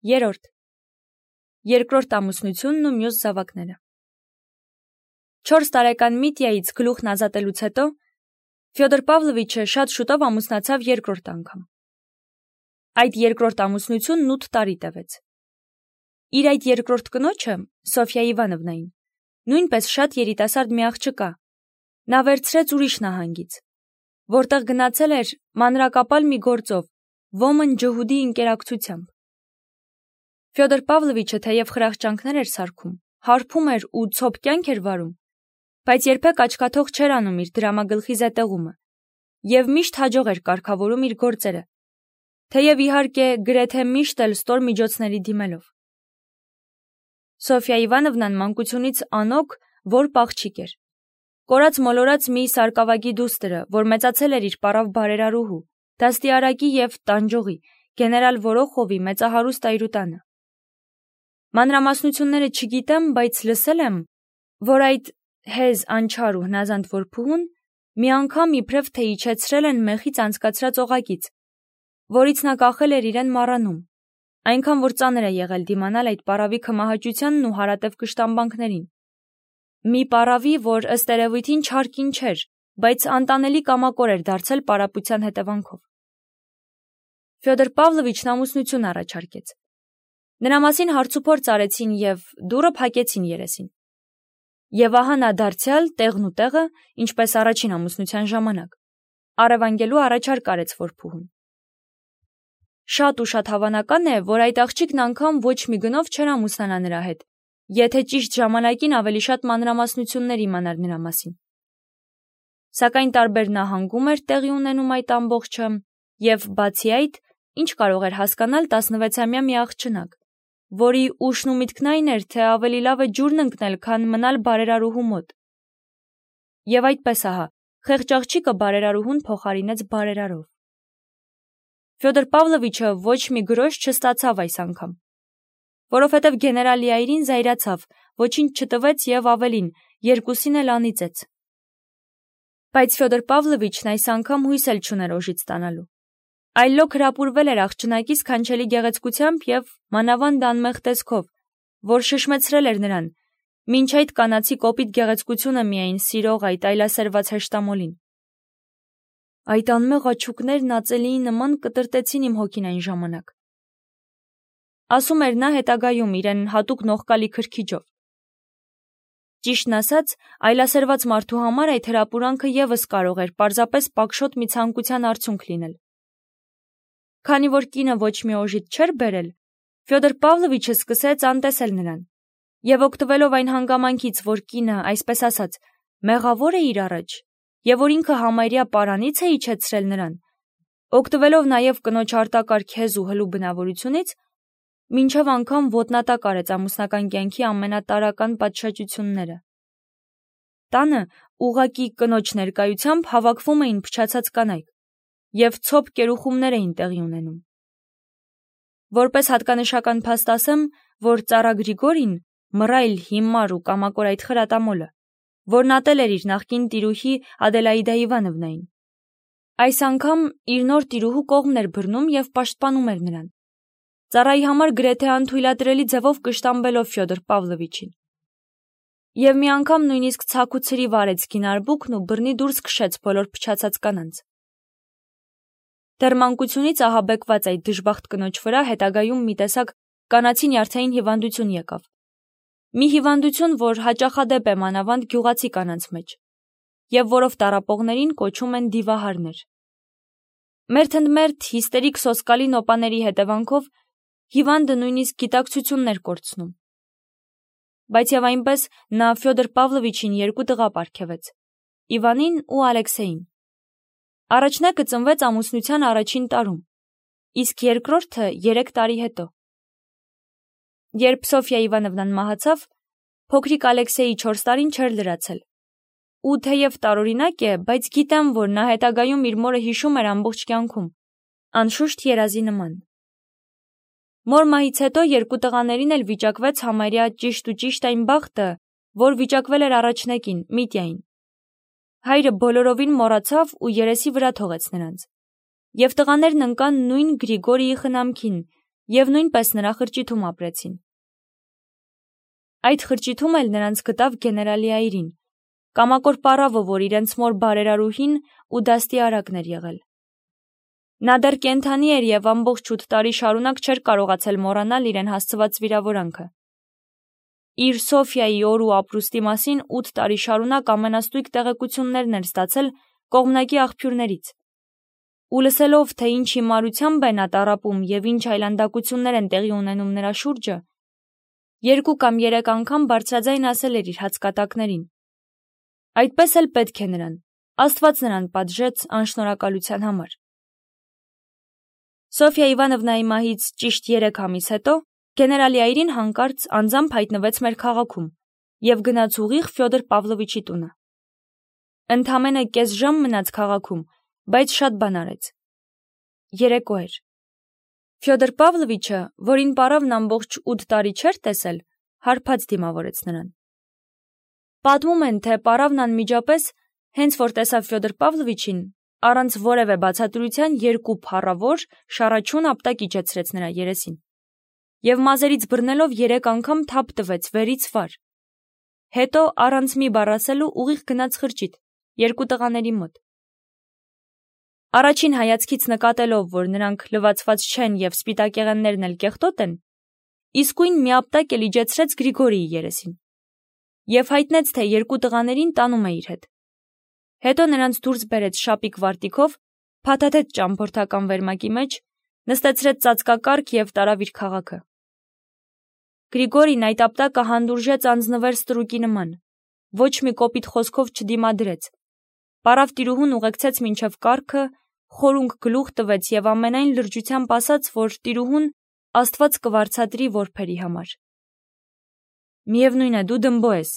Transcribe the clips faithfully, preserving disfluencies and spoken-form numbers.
Երորդ. Երկրորդ ամուսնությունն ու մյուս զավակները։ Չորս տարեկան Միտյայից գլուխն ազատելուց հետո Ֆյոդոր Պավլովիչը շատ շուտով ամուսնացավ երկրորդ անգամ։ Այդ երկրորդ ամուսնությունն ութ տարի տևեց։ Իր այդ երկրորդ կնոջը, Սոֆյա Իվանովնային, նույնպես շատ երիտասարդ մի աղջկա, նա վերցրեց ուրիշ նահանգից, որտեղ գնացել էր մանրակապալ մի գործով, ոմն ջհուդի ընկերակցությամբ։ Ֆյոդոր Պավլովիչը թեև խրախճանքներ էր սարքում, հարբում էր ու ցոփ կյանք էր վարում, բայց երբեք աչքաթող չէր անում իր դրամագլխի զետեղումը և միշտ հաջող էր կարգավորում իր գործերը, թեև իհարկե գրեթե միշտ էլ ստոր միջոցների դիմելով։ Սոֆյա Իվանովնան մանկությունից անոք որբ աղջիկ էր, կորած մոլորած մի սարկավագի դուստրը, որ մեծացել էր իր պարավ բարերարուհու, դաստիարակի և տանջողի, գեներալ Որոխովի մեծահարուստ այրուտանը։ Մանրամասնությունները չգիտեմ, բայց լսել եմ, որ այդ հեզ անչար ու հնազանդ որբուհուն մի անգամ իբրև թե իջեցրել են մեխից անցկացրած օղակից, որից նա կախել էր իրեն մառանում, այնքան որ ծանր է եղել դիմանալ այդ պարավի քմահաճությանն ու հարատև կշտամբանքներին։ Մի պարավի, որ ըստ երևույթին չար կին չէր, բայց անտանելի կամակոր էր դարձել պարապության հետևանքով։ Ֆյոդոր Պավլովիչն ամուսնություն առաջարկեց։ Նրա մասին հարցուփորձ արեցին և դուռը փակեցին երեսին։ Եվ ահա նա դարձյալ տեղն ու տեղը, ինչպես առաջին ամուսնության ժամանակ, առևանգելու առաջարկ արեց որբուհուն։ Շատ ու շատ հավանական է, որ այդ աղջիկն անգամ ոչ մի գնով չէր ամուսնանա նրա հետ, եթե ճիշտ ժամանակին ավելի շատ մանրամասնություններ իմանար նրա մասին։ Սակայն տարբեր նահանգում էր տեղի ունենում այդ ամբողջը, և բացի այդ, ինչ կարող էր հասկանալ տասնվեցամյա մի աղջնակ, որի ուշն ու միտքն այն էր, թե ավելի լավ է ջուրն ընկնել, քան մնալ բարերարուհու մոտ։ Եվ այդպես ահա, խեղճ աղջիկը բարերարուհուն փոխարինեց բարերարով։ Ֆյոդոր Պավլովիչը ոչ մի գրոշ չստացավ այս անգամ, որովհետև գեներալի այրին զայրացավ, ոչինչ չտվեց և ավելին, երկուսին էլ անիծեց։ Բայց Ֆյոդոր Պավլովիչն այս անգամ հույս էլ չուներ օժիտ ստանալու։ Այլոք հրապուրվել էր աղջնակի սքանչելի գեղեցկությամբ և մանավանդ անմեղ տեսքով, որ շշմեցրել էր նրան, մինչ այդ կանացի կոպիտ գեղեցկությունը միայն սիրող այդ այլասերված հեշտամոլին։ Այդ անմեղ աչուկներն ածելիի նման կտրտեցին իմ հոգին այն ժամանակ, ասում էր նա հետագայում իրեն հատուկ նողկալի քրքիջով։ Ճիշտն ասած, այլասերված մարդու համար այդ հրապուրանքը ևս կարող էր պարզապես պակշոտ մի ցանկության արդյունք լինել։ Քանի որ կինը ոչ մի օժիտ չէր բերել, Ֆյոդոր Պավլովիչը սկսեց անտեսել նրան, և օգտվելով այն հանգամանքից, որ կինը, այսպես ասած, մեղավոր է իր առաջ, և որ ինքը համարյա պարանից է իջեցրել նրան, օգտվելով նաև կնոջ արտակարգ հեզ ու հլու բնավորությունից, մինչև անգամ ոտնատակ արեց ամուսնական կյանքի ամենատարրական պատշաճությունները։ Տանը ուղղակի կնոջ ներկայությամբ հավաքվում էին փչացած կանայք, և ցոփ կերուխումներ էին տեղի ունենում։ Որպես հատկանշական փաստ ասեմ, որ ծառա Գրիգորին, մռայլ, հիմար ու կամակոր այդ խրատամոլը, որն ատել էր իր նախկին տիրուհի Ադելաիդա Իվանովնային, այս անգամ իր նոր տիրուհու կողմն էր բռնում և պաշտպանում էր նրան, ծառայի համար գրեթե անթույլատրելի ձևով կշտամբելով Ֆյոդոր Պավլովիչին։ Եվ մի անգամ նույնիսկ ցաք ու ցրիվ արեց կին արբուքն ու բռնի դուրս քշեց բոլոր փչացած կանանց։ Դեռ մանկությունից ահաբեկված այդ դժբախտ կնոջ վրա հետագայում մի տեսակ կանացի նյարդային հիվանդություն եկավ։ Մի հիվանդություն, որ հաճախադեպ է մանավանդ գյուղացի կանանց մեջ, և որով տառապողներին կոչում են դիվահարներ։ Մերթընդմերթ հիստերիկ սոսկալի նոպաների հետևանքով հիվանդը նույնիսկ գիտակցությունն էր կորցնում։ Բայց և այնպես նա Ֆյոդոր Պավլովիչին երկու տղա պարգևեց՝ Իվանին ու Ալեքսեյին։ Առաջնակը ծնվեց ամուսնության առաջին տարում, իսկ երկրորդը երեք տարի հետո։ Երբ Սոֆյա Իվանովնան մահացավ, փոքրիկ Ալեքսեյի չորս տարին չէր լրացել։ Ու թեև տարօրինակ է, բայց գիտեմ, որ նա հետագայում իր մորը հիշում էր ամբողջ կյանքում, անշուշտ երազի նման։ Մոր մահից հետո երկու տղաներին էլ վիճակվեց համարյա ճիշտ ու ճիշտ այն բախտը, որ վիճակվել էր առաջնակին, Միտյային։ Հայրը բոլորովին մոռացավ ու երեսի վրա թողեց նրանց, և տղաներն ընկան նույն Գրիգորիի խնամքին և նույնպես նրա խրճիթում ապրեցին։ Այդ խրճիթում էլ նրանց գտավ գեներալիայրին, կամակոր պառավը, որ իրենց մոր բարերարուհին ու դաստի արագն էր եղել։ Նա դեռ կենդանի էր և ամբողջ ութ տարի շարունակ չէր կարողացել մոռանալ իրեն հասցված վիրավորանքը։ Իր Սոֆիայի օր ու ապրուստի մասին ութ տարի շարունակ ամենաստույգ տեղեկություններն էր ստացել կողմնակի աղբյուրներից։ Ու լսելով, թե ինչ հիմարությամբ է նա տառապում և ինչ այլանդակություններ են տեղի ունենում նրա շուրջը, երկու կամ երեք անգամ բարձրաձայն ասել էր իր հացկատակներին. այդպես էլ պետք է նրան, Աստված նրան պատժեց անշնորհակալության համար։ Սոֆիա Իվանովնայի մահից ճիշտ երեք ամիս հետո գեներալիայրին հանկարծ անձամբ հայտնվեց մեր քաղաքում և գնաց ուղիղ Ֆյոդոր Պավլովիչի տունը։ Ընդամենը կես ժամ մնաց քաղաքում, բայց շատ բան արեց։ Երեկո էր։ Ֆյոդոր Պավլովիչը, որին պառավն ամբողջ ութ տարի չէր տեսել, հարբած դիմավորեց նրան։ Պատմում են, թե պառավն անմիջապես, հենց որ տեսավ Ֆյոդոր Պավլովիչին, առանց որևէ բացատրության երկու փառավոր, շառաչուն ապտակ իջեցրեց նրա երեսին և մազերից բռնելով երեք անգամ թափ տվեց վերից վար։ Հետո առանց մի բառ ասելու ուղիղ գնաց խրճիթ, երկու տղաների մոտ։ Առաջին հայացքից նկատելով, որ նրանք լվացված չեն և սպիտակեղեններն էլ կեղտոտ են, իսկույն մի ապտակ էլ իջեցրեց Գրիգորիի երեսին և հայտնեց, թե երկու տղաներին տանում է իր հետ։ Հետո նրանց դուրս բերեց շապիկ վարտիքով, փաթաթեց ճամփորդական վերմակի մեջ, նստեցրեց ծածկակառք և տարավ իր քաղաքը։ Գրիգորին այդ ապտակը հանդուրժեց անձնվեր ստրուկի նման, ոչ մի կոպիտ խոսքով չդիմադրեց։ Պառավ տիրուհուն ուղեկցեց մինչև կառքը, խորունգ գլուխ տվեց և ամենայն լրջությամբ ասաց, որ տիրուհուն Աստված կվարձատրի որբերի համար։ Միևնույն է, դու դմբո ես,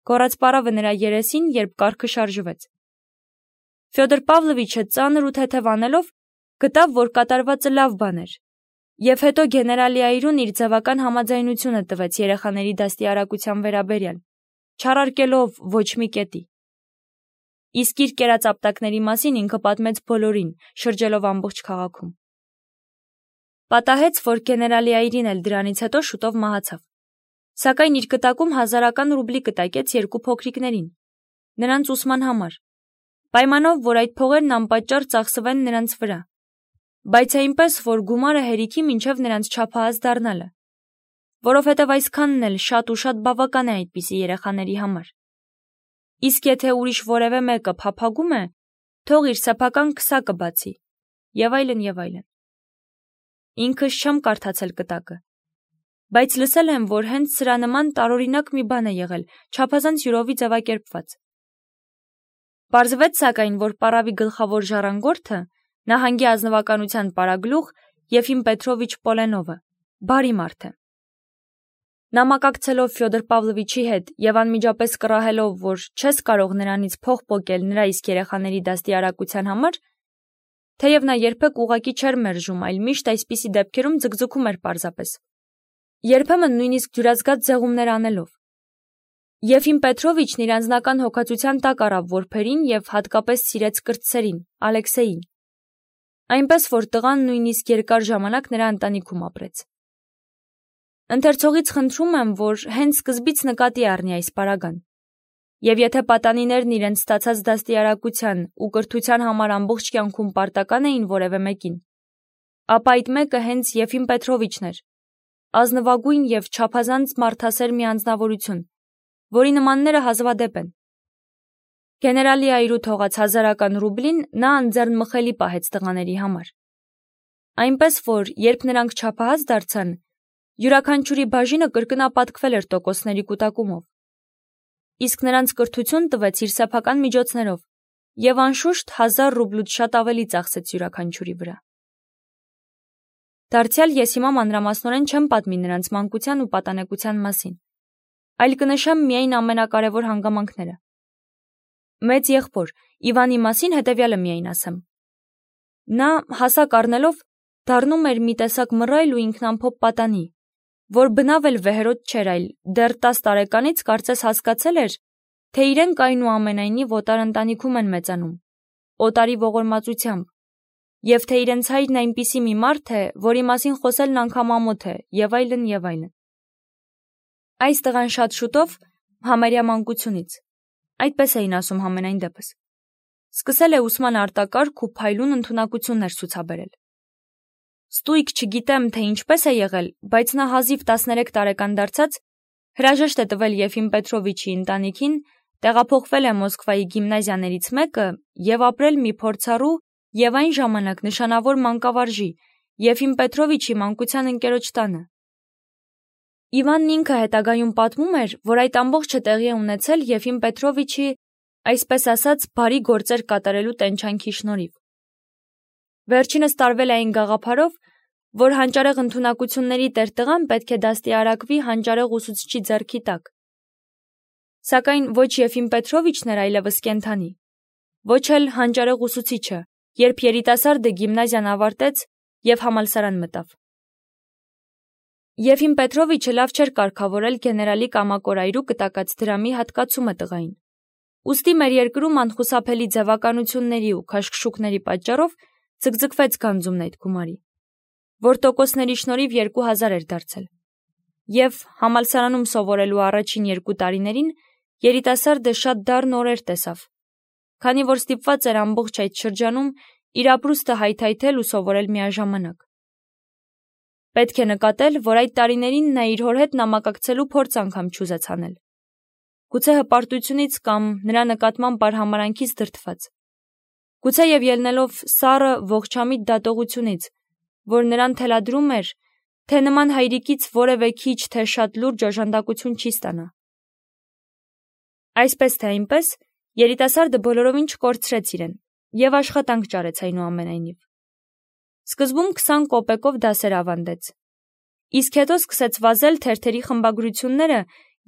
գոռաց պառավը նրա երեսին, երբ կառքը շարժվեց։ Ֆյոդոր Պավլովիչը ծանր ու թեթև անելով գտավ, որ կատարվածը լավ բան էր, և հետո գեներալիայրուն իր ձևական համաձայնությունը տվեց երեխաների դաստիարակության վերաբերյալ, չառարկելով ոչ մի կետի։ Իսկ իր կերած ապտակների մասին ինքը պատմեց բոլորին, շրջելով ամբողջ քաղաքում։ Պատահեց, որ գեներալիայրին էլ դրանից հետո շուտով մահացավ, սակայն իր կտակում հազարական ռուբլի կտակեց երկու փոքրիկներին, նրանց ուսման համար, պայմանով, որ այդ փողերն անպատճառ ծախսվեն նրանց վրա, բայց այնպես, որ գումարը հերիքի մինչև նրանց չափահաս դառնալը, որովհետև այսքանն էլ շատ ու շատ բավական է այդպիսի երեխաների համար։ Իսկ եթե ուրիշ որևէ մեկը փափագում է, թող իր սեփական քսակը բացի, և այլն, և այլն։ Ինքս չեմ կարդացել կտակը, բայց լսել եմ, որ հենց սրա նման տարօրինակ մի բան է եղել, չափազանց յուրովի ձևակերպված։ Պարզվեց սակայն, որ պառավի գլխավոր ժառանգորդը, նահանգի ազնվականության պարագլուխ Եֆիմ Պետրովիչ Պոլենովը, բարի մարդ է։ Նա մակակցելով Ֆյոդոր Պավլովիչի հետ և անմիջապես կռահելով, որ չես կարող նրանից փող պոկել նրա իսկ երեխաների դաստիարակության համար, թեև նա երբեք ուղղակի չէր մերժում, այլ միշտ այսպիսի դեպքերում ձգձգում էր պարզապես, երբեմն նույնիսկ դյուրազգաց ձեղումներ անելով։ Եֆիմ Պետրովիչն իր անձնական հոգացության տակ առավ որբերին և հատկապես սիրեց կրտսերին, Ալեքսեյին, այնպես որ տղան նույնիսկ երկար ժամանակ նրա ընտանիքում ապրեց։ Ընթերցողից խնդրում եմ, որ հենց սկզբից նկատի առնի այս պարագան, և եթե պատանիներն իրենց ստացած դաստիարակության ու կրթության համար ամբողջ կյանքում պարտական էին որևէ մեկին, ապա այդ մեկը հենց Եֆիմ Պետրովիչն էր, ազնվագույն և չափազանց մարդասեր մի անձնավորություն, որի նմանները հազվադեպ են։ Գեներալիայրու թողած հազարական ռուբլին նա անձեռնմխելի պահեց տղաների համար, այնպես որ, երբ նրանք չափահաս դարձան, յուրաքանչյուրի բաժինը կրկնապատկվել էր տոկոսների կուտակումով, իսկ նրանց կրթություն տվեց իր սեփական միջոցներով և անշուշտ հազար ռուբլուց շատ ավելի ծախսեց յուրաքանչյուրի վրա։ Դարձյալ ես հիմա մանրամասնորեն չեմ պատմի նրանց մանկության ու պատանեկության մասին, այլ կնշեմ միայն ամենակարևոր հանգամանքները։ Մեծ եղբոր Իվանի մասին հետևյալը միայն ասեմ. նա հասակ առնելով դառնում էր մի տեսակ մռայլ ու ինքնամփոփ պատանի, որ բնավ էլ վեհերոտ չէր, այլ դեռ տաս տարեկանից կարծես հասկացել էր, թե իրենք այնուամենայնիվ օտար ընտանիքում են մեծանում, օտարի ողորմածությամբ, եւ թե իրենց հայրն այնպիսի մի մարդ է, որի մասին խոսելն անգամ ամոթ է, եւ այլն եւ այլն։ Այս տղան շատ շուտով համարյա մանկությունից, այդպես էին ասում համենայն դեպս, սկսել է ուսման արտակարգ ու փայլուն ընդունակություններ ցուցաբերել։ Ստույգ չգիտեմ, թե ինչպես է եղել, բայց նա հազիվ տասներեք տարեկան դարձած հրաժեշտ է տվել Եֆիմ Պետրովիչի ընտանիքին, տեղափոխվել է Մոսկվայի գիմնազիաներից մեկը եւ ապրել մի փորձառու եւ այն ժամանակ նշանավոր մանկավարժի Եֆիմ Պետրովիչի մանկության ընկերոջ տանը։ Իվանն ինքը հետագայում պատմում էր, որ այդ ամբողջը տեղի է ունեցել Եֆիմ Պետրովիչի, այսպես ասած, բարի գործեր կատարելու տենչանքի շնորհիվ։ Վերջինս տարվել է այն գաղափարով, որ հանճարեղ ընդունակությունների տերտղան պետք է դաստիարակվի հանճարեղ ուսուցչի ձեռքի տակ։ Սակայն ոչ Եֆիմ Պետրովիչն էր այլևս կենդանի, ոչ էլ հանճարեղ ուսուցիչը, երբ երիտասարդը գիմնազիան ավարտեց եւ համալսարան մտավ։ Եֆիմ Պետրովիչը լավ չէր կարգավորել գեներալի կամակորայրու կտակած դրամի հատկացումը տղային։ Ուստի մեր երկրում անխուսափելի ձևականությունների ու քաշքշուկների պատճառով ձգձգվեց գանձումն այդ գումարի, որ տոկոսների շնորհիվ երկու հազար էր դարձել։ Եվ համալսարանում սովորելու առաջին երկու տարիներին երիտասարդը շատ դառն օրեր տեսավ, քանի որ ստիպված էր ամբողջ այդ շրջանում իր ապրուստը հայթայթել ու սովորել միաժամանակ։ Պետք է նկատել, որ այդ տարիներին նա իր հոր հետ նամակակցելու փորձ անգամ չուզեց անել։ Գուցե հպարտությունից կամ նրա նկատմամբ արհամարանքից դրդված։ Գուցե եւ ելնելով սառը ողջամիտ դատողությունից, որ նրան թելադրում էր, թե նման հայրիկից որևէ քիչ թե շատ լուրջ օժանդակություն չի ստանա։ Այսպես թե այնպես, երիտասարդը բոլորովին չկորցրեց իրեն եւ աշխատանք ճարեց այնուամենայնիվ։ Սկզբում քսան կոպեկով դասեր ավանդեց, իսկ հետո սկսեց վազել թերթերի խմբագրությունները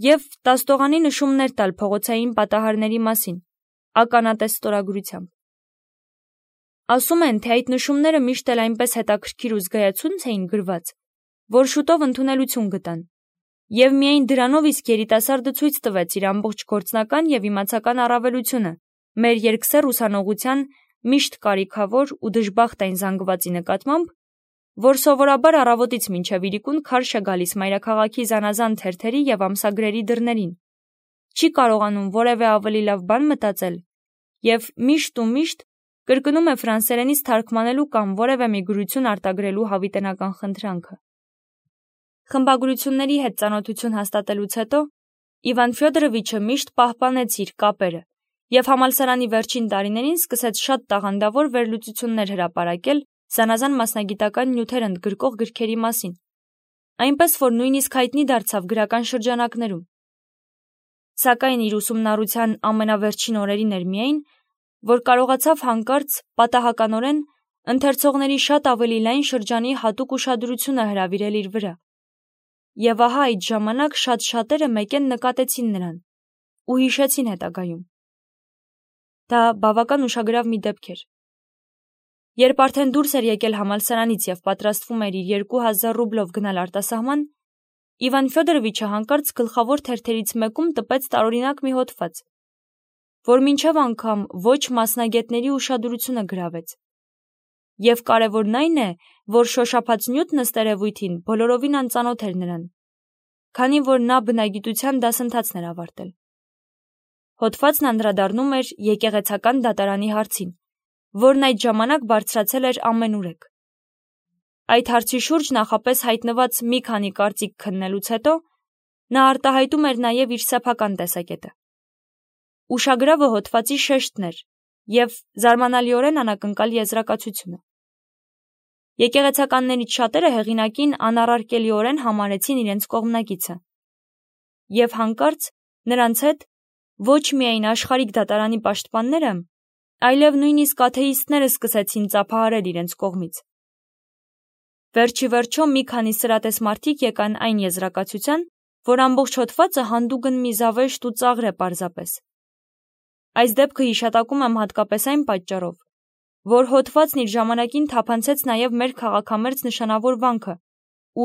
եւ տաստողանի նշումներ տալ փողոցային պատահարների մասին, ականատես ստորագրությամբ։ Ասում են, թե այդ նշումները միշտ էլ այնպես հետաքրքիր ու զգայացունց էին գրված, որ շուտով ընդունելություն գտան, եւ միայն դրանով իսկ երիտասարդը ցույց տվեց իր ամբողջ գործնական եւ իմացական առավելությունը մեր երկսեռ ուսանողության միշտ կարիքավոր ու դժբախտ այն զանգվածի նկատմամբ, որ սովորաբար առավոտից մինչև իրիկուն քարշ է գալիս մայրաքաղաքի զանազան թերթերի եւ ամսագրերի դռներին, չի կարողանում որևէ ավելի լավ բան մտածել եւ միշտ ու միշտ կրկնում է ֆրանսերենից թարգմանելու կամ որևէ մի գրություն արտագրելու հավիտենական խնդրանքը։ Խմբագրությունների հետ ծանոթություն հաստատելուց հետո Իվան Ֆյոդորովիչը միշտ պահպանեց իր կապերը եւ համալսարանի վերջին տարիներին սկսեց շատ տաղանդավոր վերլուծություններ հրապարակել զանազան մասնագիտական նյութեր ընդգրկող գրքերի մասին, այնպես որ նույնիսկ հայտնի դարձավ գրական շրջանակներում։ Սակայն իր ուսումնառության ամենավերջին օրերին էր միայն, որ կարողացավ հանկարծ պատահականորեն ընթերցողների շատ ավելի լայն շրջանի հատուկ ուշադրությունը հրավիրել իր վրա։ Եվ ահա այդ ժամանակ շատ շատերը մեկեն նկատեցին նրան ու հիշեցին հետագայում։ Դա բավական ուշագրավ մի դեպք էր։ Երբ արդեն դուրս էր եկել համալսարանից եւ պատրաստվում էր իր երկու հազար ռուբլով գնալ արտասահման, Իվան Ֆյոդորովիչը հանկարծ գլխավոր թերթերից մեկում տպեց տարօրինակ մի հոդված, որ մինչև անգամ ոչ մասնագետների ուշադրությունը գրավեց։ Եվ կարևորն այն է, որ շոշափած նյութն ըստ երևույթին բոլորովին անծանոթ էր նրան, քանի որ նա բնագիտության դասընթացն էր ավարտել։ Հոդվածն անդրադառնում էր եկեղեցական դատարանի հարցին, որն այդ ժամանակ բարձրացել էր ամենուրեք։ Այդ հարցի շուրջ նախապես հայտնված մի քանի կարծիք քննելուց հետո նա արտահայտում էր նաև իր սեփական տեսակետը։ Ուշագրավը հոդվածի շեշտն էր եւ զարմանալիորեն անակնկալ եզրակացությունը։ Եկեղեցականներից շատերը հեղինակին անառարկելիորեն համարեցին իրենց կողմնակիցը։ Եվ հանկարծ նրանց հետ ոչ միայն աշխարհիկ դատարանի պաշտպանները, այլև նույնիսկ աթեիստները սկսեցին ծափահարել իրենց կողմից։ Վերջի վերջո մի քանի սրատես մարդիկ եկան այն եզրակացության, որ ամբողջ հոդվածը հանդուգն մի զավեշտ ու ծաղր է պարզապես։ Այս դեպքը հիշատակում եմ հատկապես այն պատճառով, որ հոդվածն իր ժամանակին թափանցեց նաև մեր քաղաքամերձ նշանավոր վանքը,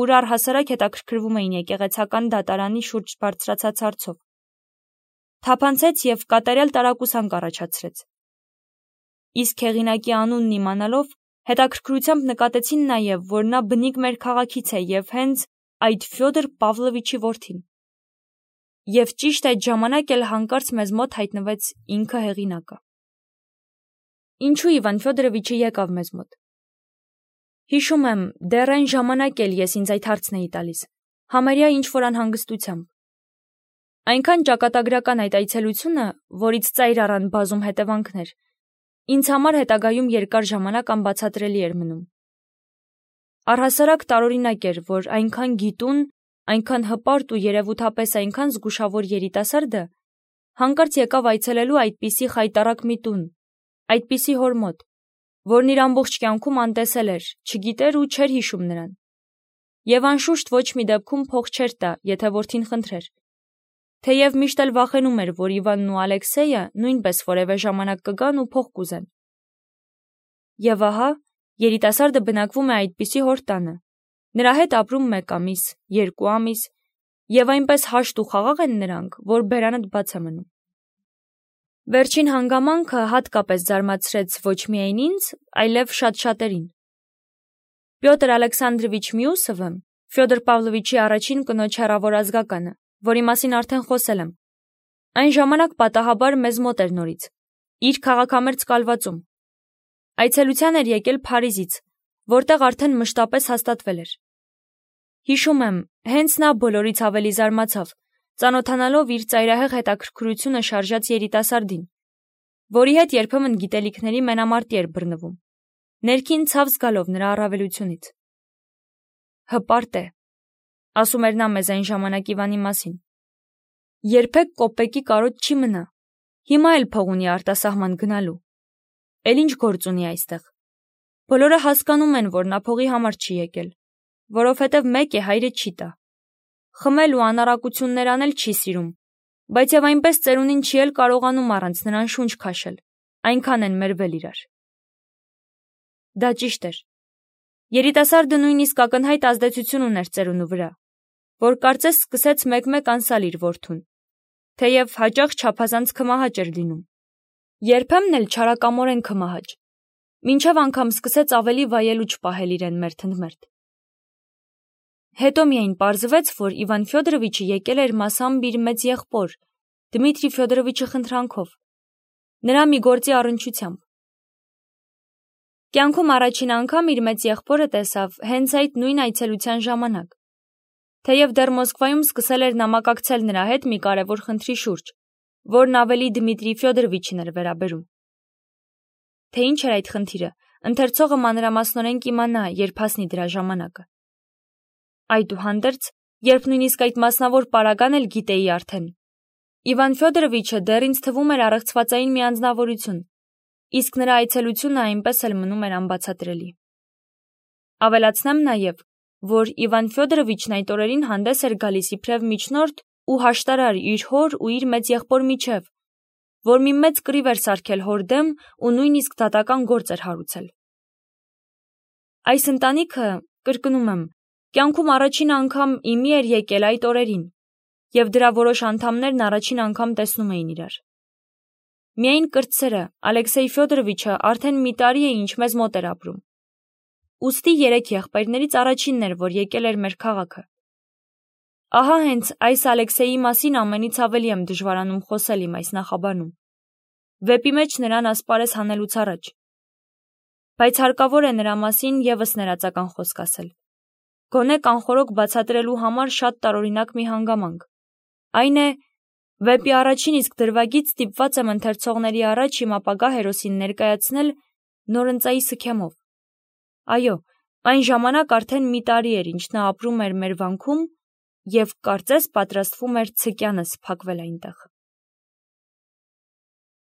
ուր առհասարակ հետաքրքրվում էին եկեղեցական դատարանի շուրջ բարձրացած հարցով։ Թափանցեց եւ կատարյալ տարակուսանք առաջացրեց։ Իսկ հեղինակի անունն իմանալով Հետաքրքրությամբ նկատեցին նաև, որ նա բնիկ մեր քաղաքից է և հենց այդ Ֆյոդոր Պավլովիչի որդին։ Եվ ճիշտ այդ ժամանակ էլ հանկարծ մեզ մոտ հայտնվեց ինքը հեղինակը։ Ինչու Իվան Ֆյոդորովիչը եկավ մեզ մոտ։ Հիշում եմ, դեռ այն ժամանակ էլ ես ինձ այդ հարցն էի տալիս, համարյա ինչ-որ անհանգստությամբ։ Այնքան ճակատագրական այդ այցելությունը, որից ծայր առան բազում հետևանքներ, ինձ համար հետագայում երկար ժամանակ անբացատրելի էր մնում։ Առհասարակ տարօրինակ էր, որ այնքան գիտուն, այնքան հպարտ ու երևութապես այնքան զգուշավոր երիտասարդը հանկարծ եկավ այցելելու այդպիսի խայտառակ մի տուն, այդպիսի հոր մոտ, որն իր ամբողջ կյանքում անտեսել էր, չգիտեր ու չէր հիշում նրան։ Եվ անշուշտ ոչ մի դեպքում փող չէր տա, եթե որդին խնդրեր։ Թեև միշտ էլ վախենում էր, որ Իվանն ու Ալեքսեյը նույնպես որևէ ժամանակ կգան ու փող կուզեն։ Եվ ահա, երիտասարդը բնակվում է այդպիսի հոր տանը։ Նրա հետ ապրում մեկ ամիս, երկու ամիս, եւ այնպես հաշտ ու խաղաղ են նրանք, որ բերանդ բաց է մնում։ Վերջին հանգամանքը հատկապես զարմացրեց ոչ միայն ինձ, այլև շատ շատերին։ Պյոտր Ալեքսանդրովիչ Միուսովը, Ֆյոդոր Պավլովիչի առաջին կնոջ հեռավոր ազգականը, որի մասին արդեն խոսել եմ, այն ժամանակ պատահաբար մեզ մոտ էր նորից, իր քաղաքամերձ կալվածում։ Այցելության էր եկել Փարիզից, որտեղ արդեն մշտապես հաստատվել էր։ Հիշում եմ, հենց նա բոլորից ավելի զարմացավ, ծանոթանալով իր ծայրահեղ հետաքրքրությունը շարժած երիտասարդին, որի հետ երբեմն գիտելիքների մենամարտի էր բռնվում, ներքին ցավ զգալով նրա առավելությունից։ Հպարտ է, ասում էր նա մեզ այն ժամանակ Իվանի մասին։ Երբեք կոպեկի կարոտ չի մնա, հիմա էլ փող ունի արտասահման գնալու։ Էլ ինչ գործ ունի այստեղ։ Բոլորը հասկանում են, որ նա փողի համար չի եկել, որովհետև մեկ է հայրը չի տա։ Խմել ու անառակություններ անել չի սիրում, բայց եւ այնպես ծերունին չի էլ կարողանում առանց նրան շունչ քաշել, այնքան են մերվել իրար։ Դա ճիշտ էր։ Երիտասարդը նույնիսկ ակնհայտ ազդեցություն ուներ ծերունու վրա, որ կարծես սկսեց մեկ-մեկ անսալ իր որդուն, թեև հաճախ չափազանց քմահաճ էր լինում։ Երբեմն էլ չարակամորեն քմահաճ, մինչև անգամ սկսեց ավելի վայել ու չպահել իրեն մերթընդմերթ։ Հետո միայն պարզվեց, որ Իվան Ֆյոդորովիչը եկել էր մասամբ իր մեծ եղբոր, Դմիտրի Ֆյոդորովիչի խնդրանքով, նրա մի գործի առնչությամբ։ Կյանքում առաջին անգամ իր մեծ եղբորը տեսավ հենց այդ նույն այցելության ժամանակ, թեև դեռ Մոսկվայում սկսել էր նամակակցել նրա հետ մի կարևոր խնդրի շուրջ, որն ավելի Դմիտրի Ֆյոդորովիչին էր վերաբերում։ Թե ինչ էր այդ խնդիրը, ընթերցողը մանրամասնորեն կիմանա, երբ հասնի դրա ժամանակը։ Այդուհանդերձ, երբ նույնիսկ այդ մասնավոր պարագան էլ գիտեի արդեն, Իվան Ֆյոդորովիչը դեռ ինձ թվում էր առեղծվածային մի անձնավորություն, իսկ նրա այցելությունը այնպես էլ մնում էր անբացատրելի։ Ավելացնեմ նաև, որ Իվան Ֆյոդորովիչն այդ օրերին հանդես էր գալիս իբրև միջնորդ ու հաշտարար իր հոր ու իր մեծ եղբոր միջև, որ մի մեծ կռիվ էր սարքել հոր դեմ ու նույնիսկ դատական գործ էր հարուցել։ Այս ընտանիքը, կրկնում եմ, կյանքում առաջին անգամ իմի էր եկել այդ օրերին, և դրա որոշ անդամներն առաջին անգամ տեսնում էին իրար։ Միայն կրտսերը, Ալեքսեյ Ֆյոդորովիչը արդեն մի տարի է ինչ մեզ մոտ էր ապրում։ Ուստի երեք եղբայրներից առաջինն էր, որ եկել էր մեր քաղաքը։ Ահա հենց այս Ալեքսեյի մասին ամենից ավելի եմ դժվարանում խոսել իմ այս նախաբանում, վեպի մեջ նրան ասպարեզ հանելուց առաջ։ Բայց հարկավոր է նրա մասին ևս ներածական խոսք ասել։ Գոնե կանխորոք բացատրելու համար շատ տարօրինակ մի հանգամանք։ Այն է, վեպի առաջին իսկ դրվագից ստիպված եմ ընթերցողների առաջ իմ ապագա հերոսին ներկայացնել նորընծայի սքեմով։ Այո, այն ժամանակ արդեն մի տարի էր, ինչ նա ապրում էր մեր վանքում և կարծես պատրաստվում էր ցկյանս փակվել այնտեղ։